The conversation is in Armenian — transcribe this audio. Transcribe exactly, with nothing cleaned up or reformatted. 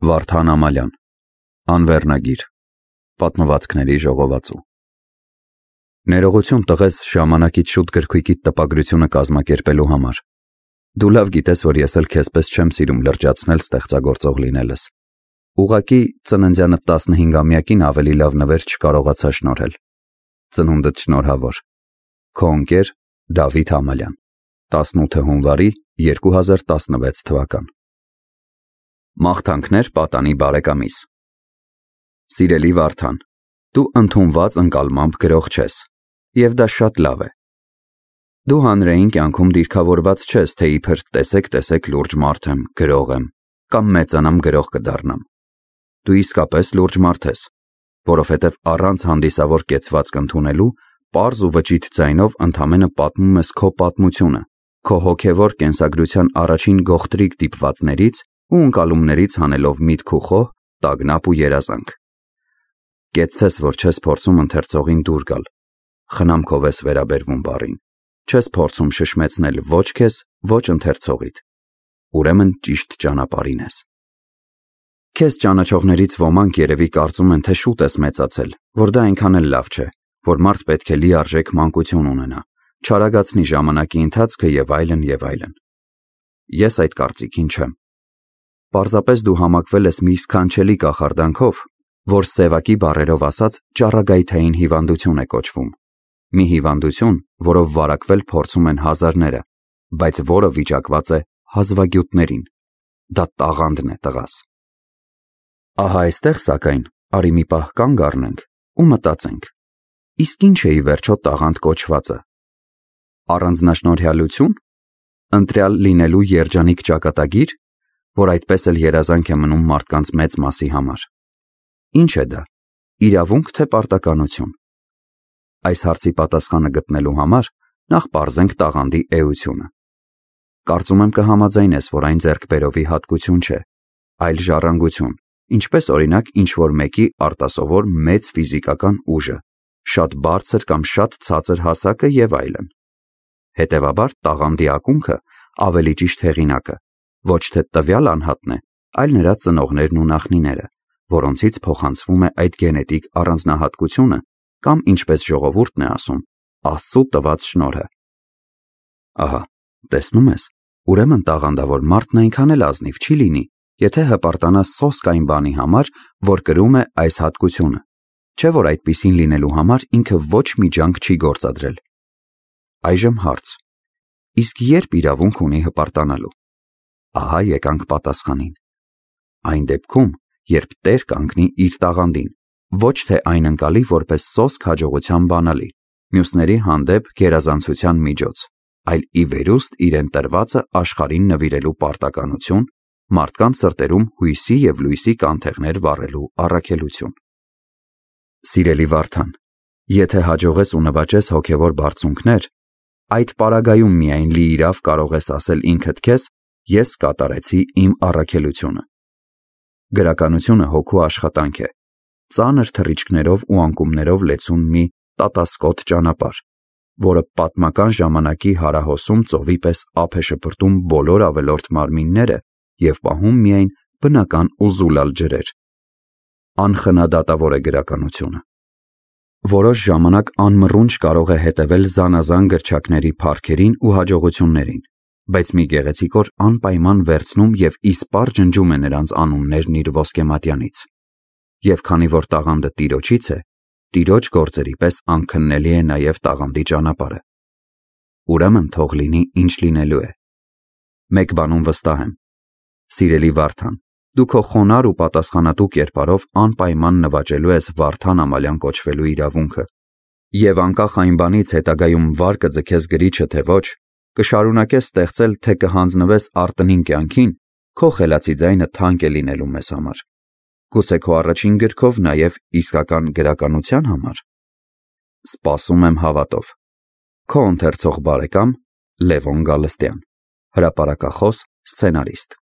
Վարդան Ամալյան, Անվերնագիր, Պատմվածքների ժողովածու։ Ներողություն տղես ժամանակից շուտ գրքույկիդ տպագրությունը կազմակերպելու համար։ Դու լավ գիտես, որ ես էլ քեզպես չեմ սիրում լրջացնել ստեղծագործող լինելս։ Ուղղակի ծննդյանդ տասնհինգամյակին ավելի լավ նվեր չկարողացա շնորհել։ Ծնունդդ շնորհավոր։ Քո ընկեր Դավիթ Ամալյան, տասնութ հունվարի երկու հազար տասնվեց թվական։ Մաղթանքներ պատանի բարեկամիս։ Սիրելի Վարդան, դու ընդունված ընկալմամբ գրող չես, և դա շատ լավ է։ Դու հանրային կյանքում դիրքավորված չես, թե իբր տեսեք-տեսեք լուրջ մարդ եմ, գրող եմ, կամ մեծանամ գրող կդառնամ։ Դու իսկապես լուրջ մարդ ես, որովհետև առանց հանդիսավոր կեցվածք ընդունելու, պարզ ու վճիտ ձայնով ընդամենը պատմում ես քո պատմությունը, քո հոգևոր կենսագրության առաջին գողտրիկ դիպվածներից ու ընկալումներից հանելով միտք ու խոհ, տագնապ ու երազանք։ Կեցցես, որ չես փորձում ընթերցողին դուր գալ, խնամքով ես վերաբերվում բառին, չես փորձում շշմեցնել ոչ քեզ, ոչ ընթերցողիդ, ուրեմն ճիշտ ճանապարհին ես։ Քեզ ճանաչողներից ոմանք երևի կարծում են, թե շուտ ես մեծացել, որ դա այնքան էլ լավ չէ, որ մարդ պետք է լիարժեք մանկություն ունենա, չարագացնի ժամանակի ընթացքը և այլն և այլն։ Ես այդ կարծիքին չեմ։ Պարզապես դու համակվել ես մի սքանչելի կախարդանքով, որ սևակի բառերով ասած ճառագայթային հիվանդություն է կոչվում։ Մի հիվանդություն, որով վարակվել փորձում են հազարները, բայց որը վիճակված է հազվագյուտներին։ Դա տաղանդն է, տղաս։ Ահա այստեղ, սակայն, արի մի պահ կանգ առնենք ու մտածենք. իսկ ինչ է ի վերջո տաղանդ կոչվածը։ Առանձնաշնորհյալություն, ընտրյալ լինելու երջանիկ ճակատագիր, որ այդպես էլ երազանք է մնում մարդկանց մեծ մասի համար։ Ինչ է դա, իրավունք թե պարտականություն։ Այս հարցի պատասխանը գտնելու համար նախ պարզենք տաղանդի էությունը։ Կարծում եմ կհամաձայնես, որ այն ձեռքբերովի հատկություն չէ, այլ ժառանգություն, ինչպես օրինակ ինչ-որ մեկի արտասովոր մեծ ֆիզիկական ուժը, շատ բարձր կամ շատ ցածր հասակը և այլն։ Հետևաբար տաղանդի ակունքը, ավելի ճիշտ հեղինակը, ոչ թե տվյալ անհատն է, այլ նրա ծնողներն ու նախնիները, որոնցից փոխանցվում է այդ գենետիկ առանձնահատկությունը կամ, ինչպես ժողովուրդն է ասում, Աստծու տված շնորհը։ Ահա, տեսնում ես, ուրեմն տաղանդավոր մարդն այնքան էլ ազնիվ չի լինի, եթե հպարտանա սոսկ այն բանի համար, որ կրում է այս հատկությունը, չէ որ այդպիսին լինելու համար ինքը ոչ մի ջանք չի գործադրել։ Այժմ հարց. իսկ երբ իրավունք ունի հպարտանալու։ Ահա եկանք պատասխանին։ Այն դեպքում, երբ տեր կանգնի իր տաղանդին, ոչ թե այն ընկալի որպես սոսկ հաջողության բանալի, մյուսների հանդեպ գերազանցության միջոց, այլ ի վերուստ իրեն տրվածը աշխարհին նվիրելու պարտականություն, մարդկանց սրտերում հույսի և լույսի կանթեղներ վառելու առաքելություն։ Սիրելի Վարդան, եթե հաջողես ու նվաճես հոգևոր բարձունքներ, այդ պարագայում միայն լիիրավ կարող ես ասել ինքդ քեզ. ես կատարեցի իմ առաքելությունը։ Գրականությունը հոգու աշխատանք է, ծանր թռիչքներով ու անկումներով լեցուն մի տատասկոտ ճանապարհ, որը պատմական ժամանակի հարահոսում ծովի պես ափ է շպրտում բոլոր ավելորդ մարմինները և պահում միայն բնական ու զուլալ ջրեր։ Անխնադատավոր է գրականությունը։ Որոշ ժամանակ անմռունչ կարող է հետևել զանազան գրչակների փառքերին ու հաջողություններին, բայց մի գեղեցիկ օր անպայման վերցնում և իսպառ ջնջում է նրանց անուններն իր ոսկեմատյանից։ Եվ քանի որ տաղանդը Տիրոջից է, Տիրոջ գործերի պես անքննելի է նաև տաղանդի ճանապարհը։ Ուրեմն թող լինի ինչ լինելու է։ Մեկ բանում վստահ եմ. սիրելի Վարդան, դու քո խոնարհ ու պատասխանատու կերպարով անպայման նվաճելու ես Վարդան Ամալյան կոչվելու իրավունքը, և անկախ այն բանից հետագայում վար կձգես գրիչը թե ոչ, կշարունակես ստեղծել, թե կհանձնվես արտնին կյանքին, քո խելացի ձայնը թանկ է լինելու մեզ համար։ Գուցե քո առաջին գրքով նաև իսկական գրականության համար։ Սպասում եմ հավատով։ Քո ընթերցող բարեկամ Լևոն Գալստյան, հրապարակախոս, սցենարիստ։